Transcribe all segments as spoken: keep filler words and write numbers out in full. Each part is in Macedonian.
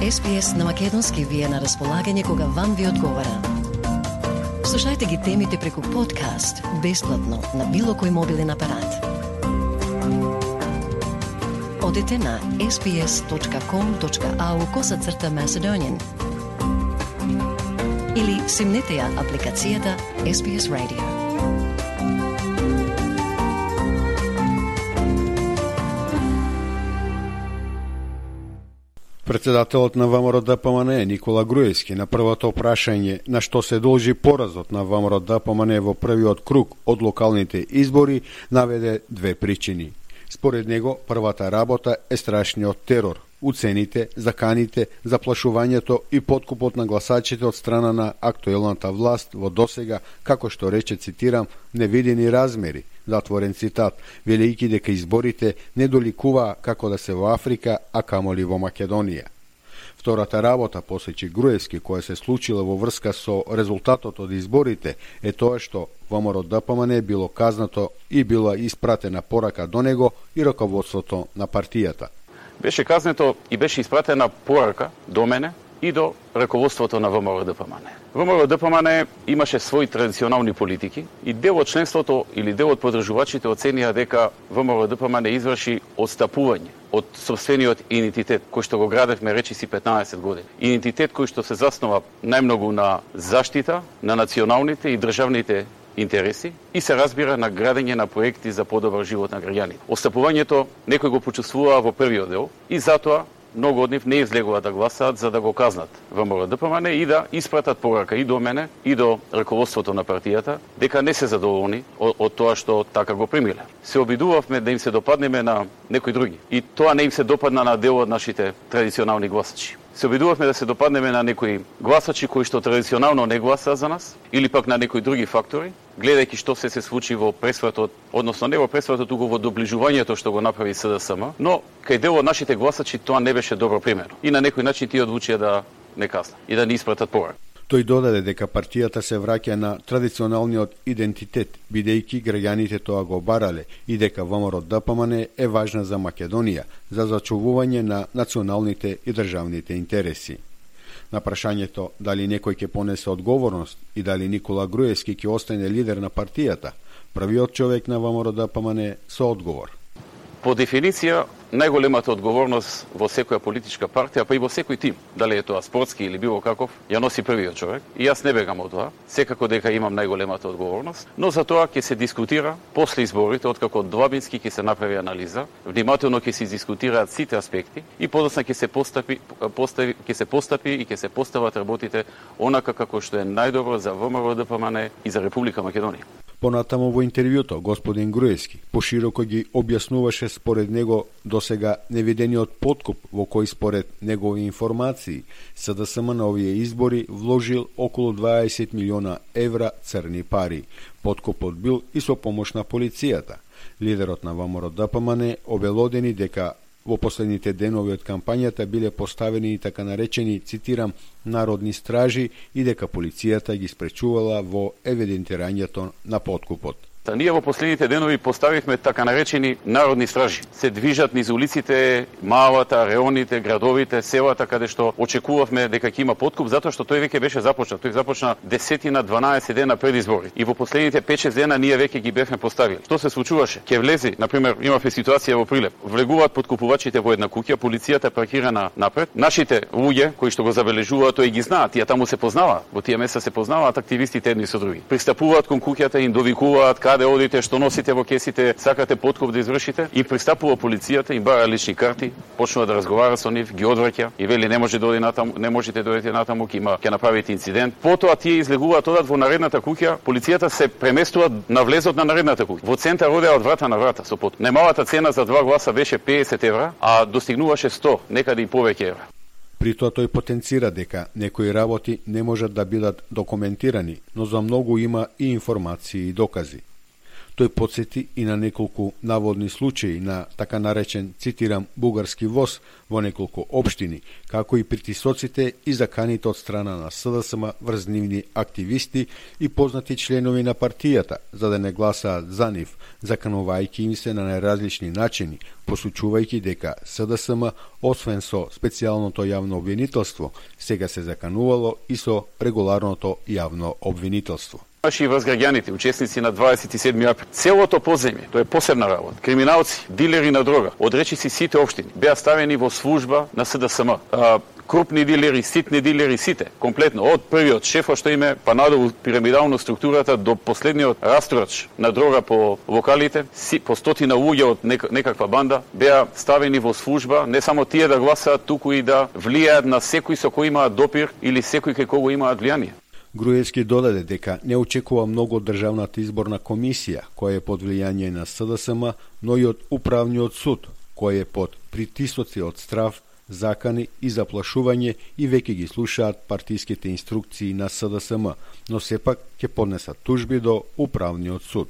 Ес Би Ес на македонски ви е на располагање кога вам ви одговара. Слушајте ги темите преку подкаст, бесплатно, на било кој мобилен апарат. Одете на ес би ес точка ком точка ау косацрта Macedonian или симнете ја апликацијата Ес Би Ес Radio. Председателот на ВМРО Д П М Н Никола Груевски на првото прашање на што се должи поразот на ВМРО Д П М Н во првиот круг од локалните избори наведе две причини. Според него, првата работа е страшниот терор, уцените, заканите, заплашувањето и подкупот на гласачите од страна на актуелната власт во досега, како што рече, цитирам, невидени размери, затворен цитат, велејќи дека изборите не доликуваа како да се во Африка, а камоли во Македонија. Втората работа, посечи Груевски, која се случила во врска со резултатот од изборите, е тоа што ВМРО Д П М Н било казнато и била испратена порака до него и раководството на партијата. Беше казнето и беше испратена порака до мене и до раководството на ВМРО Д П М Н. ВМРО Д П М Н имаше своји традиционални политики и дел од членството или дел од подржувачите оценија дека ВМРО Д П М Н изврши отстапување од собствениот идентитет кој што го градевме речиси петнаесет години. Идентитет кој што се заснова најмногу на заштита на националните и државните интереси и се разбира на градење на проекти за подобар живот на граѓаните. Отстапувањето некој го почувствува во првиот дел и затоа многу од нив не излегуваат да гласаат за да го казнат ВМРО Д П М Н и да испратат порака и до мене и до раководството на партијата дека не се задоволни од, од тоа што така го примиле. Се обидувавме да им се допаднеме на некои други и тоа не им се допадна на дел од нашите традиционални гласачи. Се обидувавме да се допаднеме на некои гласачи кои што традиционално не гласаа за нас или пак на некои други фактори, гледајќи што се се случи во пресвратот, односно не во пресвратот, туку во доближувањето што го направи С Д С М, но кај дел од нашите гласачи тоа не беше добро примерно. И на некој начин тие одлучија да не казнат и да не испратат порака. Тој додаде дека партијата се враќа на традиционалниот идентитет, бидејќи граѓаните тоа го барале и дека ВМРО Д П М Н е важна за Македонија, за зачувување на националните и државните интереси. На прашањето дали некој ќе понесе одговорност и дали Никола Груевски ќе остане лидер на партијата, првиот човек на ВМРО Д П М Н со одговор. По дефиниција, најголемата одговорност во секоја политичка партија, па и во секој тим, дали е тоа спортски или било каков, ја носи првиот човек. И јас не бегам од тоа, секако дека имам најголемата одговорност, но за тоа ќе се дискутира после изборите, откако длабински ќе се направи анализа, внимателно ќе се дискутираат сите аспекти и подоцна ќе се постапи, постави, ќе се постапи и ќе се постават работите онака како што е најдобро за ВМРО Д П М Н и за Република Македонија. Понатамо во интервјуто, господин Груевски пошироко ги објаснуваше според него досега невидениот подкуп во кој според негови информации С Д С М на овие избори вложил околу дваесет милиона евра црни пари. Подкупот бил и со помош на полицијата. Лидерот на ВМРО Д П М Н обелодени дека во последните денови од кампањата биле поставени и така наречени, цитирам, народни стражи и дека полицијата ги спречувала во евидентирањето на подкупот. Ние во последните денови поставивме така наречени народни стражи. Се движат низ улиците, малата, реоните, градовите, селата, каде што очекувавме дека ќе има подкуп, затоа што тој веќе беше започнат. Тој започна десетина, дванаесет дена пред избори. И во последните пет-шест дена ние веќе ги бевме поставили. Што се случуваше? Ке влези, на пример, имавме ситуација во Прилеп. Влегуваат подкупувачите во една куќа, полицијата паркирана напред. Нашите луѓе кои што го забележуваат, тој ги знаат, тие таму се познаваат. Во тие места се познаваат активистите едни со други. Пристапуваат кон куќата, им довикуваат каде одите, што носите во кесите, сакате подкуп да извршите, и пристапува полицијата, им бара лични карти, почнува да разговара со нив, ги одвраќа и вели не може да оди натаму, не можете да одите натаму, ќе има ќе направите инцидент. Потоа тие излегуваат, одат во наредната куќа, полицијата се преместува на влезот на наредната куќа. Во центар одеа од врата на врата со подкуп. Најмалата цена за два гласа беше педесет евра, а достигнуваше сто, некаде и повеќе евра. При тоа тој потенцира дека некои работи не можат да бидат документирани, но за многу има и информации и докази. Тој подсети и на неколку наводни случаи на така наречен, цитирам, бугарски воз во неколку општини, како и притисоците и заканите од страна на СДСМ врз нивни активисти и познати членови на партијата, за да не гласаат за нив, заканувајќи им се на најразлични начини, посучувајќи дека СДСМ, освен со специјалното јавно обвинителство, сега се заканувало и со регуларното јавно обвинителство. Имаше и врз граѓаните, учесници на дваесет и седми април. Целото подземје, тоа е посебна работа. Криминалци, дилери на дрога, од речиси сите општини, беа ставени во служба на СДСМ. А, крупни дилери, ситни дилери, сите, комплетно, од првиот шеф што име, па надолу пирамидално структурата до последниот растурач на дрога по локалите, си, по стотина луѓе од нек, некаква банда, беа ставени во служба, не само тие да гласаат, туку и да влијаат на секој со кој имаат допир или секој кај кого имаат влијание. Груевски додаде дека не очекува многу од Државната изборна комисија, која е под влијание на СДСМ, но и од Управниот суд, кој е под притисоци од страв, закани и заплашување и веќе ги слушаат партиските инструкции на СДСМ, но сепак ќе поднесат тужби до Управниот суд.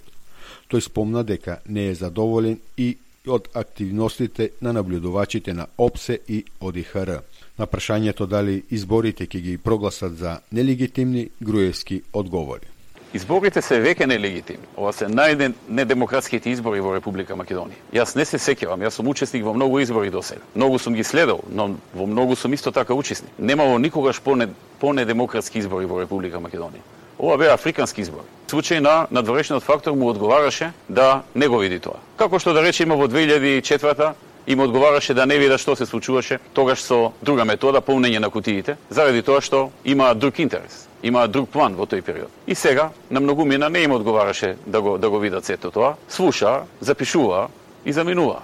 Тој спомна дека не е задоволен и од активностите на наблюдувачите на ОПСЕ и ОДИХР. На прашањето дали изборите ќе ги прогласат за нелегитимни, Груевски одговори. Изборите се веќе нелегитимни. Ова се најнедемократските избори во Република Македонија. Јас не се сеќавам, јас сум учесник во многу избори досега. Многу сум ги следел, но во многу сум исто така учесник. Немало никогаш по-недемократски избори во Република Македонија. Ова беа африкански избори. Случај на надворешниот фактор му одговараше да не го види тоа. Како што да речеме во две илјади и четврта им одговараше да не вида што се случуваше, тогаш со друга метода, полнење на кутиите, заради тоа што има друг интерес, има друг план во тој период. И сега, на многумина не им одговараше да го, да го видат сето тоа, слуша, запишува и заминува.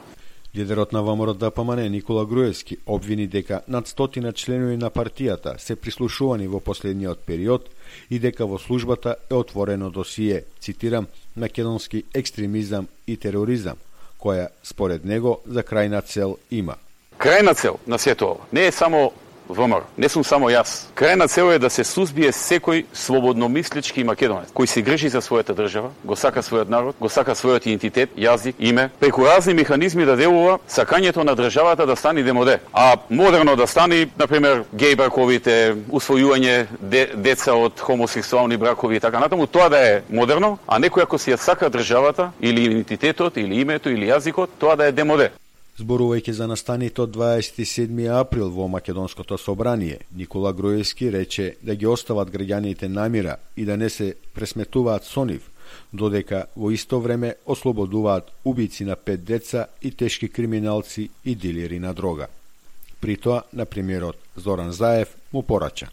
Лидерот на ВМРО-ДПМН Никола Груевски обвини дека над стотина членови на партијата се прислушувани во последниот период и дека во службата е отворено досие, цитирам, македонски екстремизам и тероризам, која според него за крајна цел има. Крајна цел на сето ова не е само ВМРО, не сум само јас. Крајна цел е да се сузбие секој слободномислички македонец кој се грижи за својата држава, го сака својот народ, го сака својот идентитет, јазик, име, преку разни механизми да делува сакањето на државата да стане демоде, а модерно да стане, например, геј браковите, усвојување де, деца од хомосексуални бракови и така натаму, тоа да е модерно, а некој ако си ја сака државата или идентитетот или името или јазикот, тоа да е демоде. Зборувајќи за настаните од дваесет и седми април во Македонското собрание, Никола Груевски рече да ги остават граѓаните намира и да не се пресметуваат со нив, додека во исто време ослободуваат убици на пет деца и тешки криминалци и дилери на дрога. При тоа, на премиерот Зоран Заев му порача.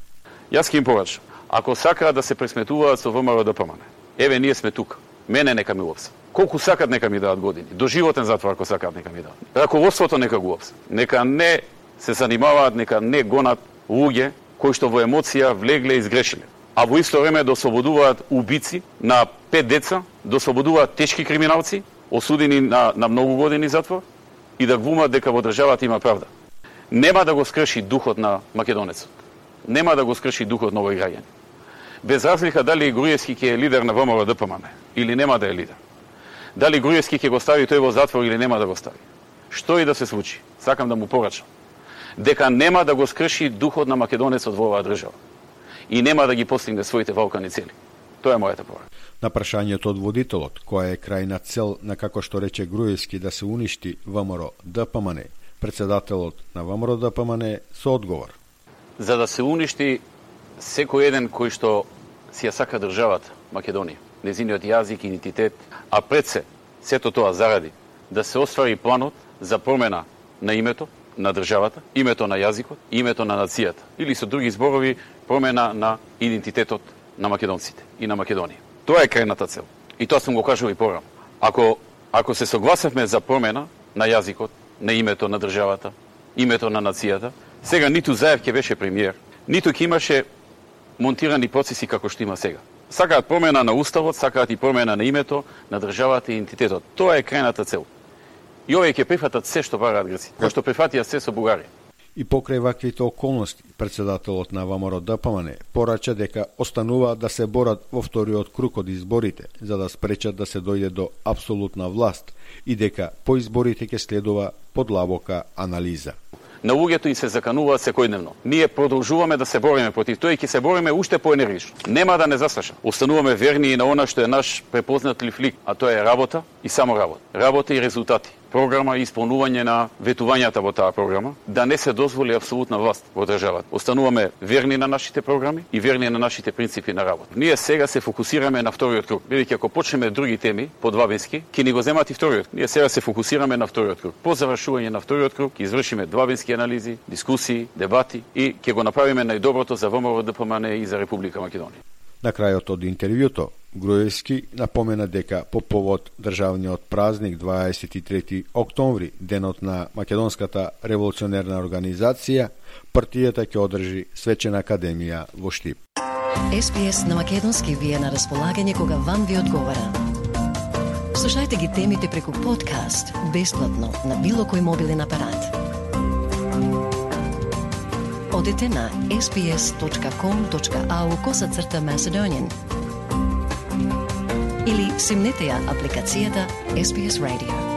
Јас ќе им порачам, ако сакаат да се пресметуваат со ВМРО-ДПМН, еве ние сме тука, мене нека ми уапсат. Колку сакат нека ми дадат години, доживотен затвор ако сакат нека ми дадат. Раководството нека го уапсат. Нека не се занимаваат, нека не гонат луѓе кои што во емоција влегле и изгрешиле. А во исто време да ослободуваат убици на пет деца, да ослободуваат тешки криминалци, осудени на, на многу години затвор и да глумат дека во државата има правда. Нема да го скрши духот на македонецот. Нема да го скрши духот на овој граѓани. Без разлика дали Груевски ќе е лидер на ВМРО-ДПМН или нема да е лидер. Дали Груевски ќе го стави тој во затвор или нема да го стави. Што и да се случи, сакам да му порачам дека нема да го скрши духот на македонецот во оваа држава и нема да ги постигне своите валкани цели. Тоа е мојата порака. На прашањето од водителот, која е крајна цел на, како што рече Груевски, да се уништи ВМРО-ДПМН, председателот на ВМРО-ДПМН со одговор. За да се уништи секој еден кој што си ја сака државата Македонија, незиниот јазик и идентитет, а пред се, сето тоа заради да се оствари планот за промена на името на државата, името на јазикот, името на нацијата, или со други зборови промена на идентитетот на македонците и на Македонија. Тоа е крајната цел. И тоа сум го кажал и порано. Ако ако се согласевме за промена на јазикот, на името на државата, името на нацијата, сега ниту Заев ќе беше премиер, ниту ќе имаше монтирани процеси како што има сега. Сакаат промена на уставот, сакаат и промена на името на државата и идентитетот. Тоа е крајната цел. И овие ќе прифатат се што бараат грци, кој што прифатија се со Бугарија. И покрај ваквите околности, председателот на ВМРО-ДПМН порача дека останува да се борат во вториот круг од изборите, за да спречат да се дојде до апсолутна власт и дека по изборите ќе следува подлабока анализа. На луѓето и се закануваат секојдневно. Ние продолжуваме да се бориме против тоа и ќе се бориме уште поенергично. Нема да не засаша. Остануваме верни и на она што е наш препознатлив лик, а тоа е работа и само работа. Работа и резултати. Програма и исполнување на ветувањата во таа програма, да не се дозволи апсолутна власт во државата. Остануваме верни на нашите програми и верни на нашите принципи на работа. Ние сега се фокусираме на вториот круг. Бидејќи ако почнеме други теми подвабински, ќе ни го земат и вториот. Ние сега се фокусираме на вториот круг. По завршување на вториот круг ќе извршиме двабински анализи, дискусии, дебати и ќе го направиме најдоброто за ВМРО-ДПМН и за Република Македонија. На крајот од интервјуто, Груевски напомена дека по повод државниот празник дваесет и трети октомври, денот на Македонската револуционерна организација, партијата ќе одржи свечена академија во Штип. Ес Би Ес на македонски ви е на располагање кога вам ви одговара. Слушајте ги темите преку подкаст, бесплатно, на било кој мобилен апарат. Одете на ес би ес точка ком точка ау косацрта Macedonian или симнете ја апликацијата Ес Би Ес Radio.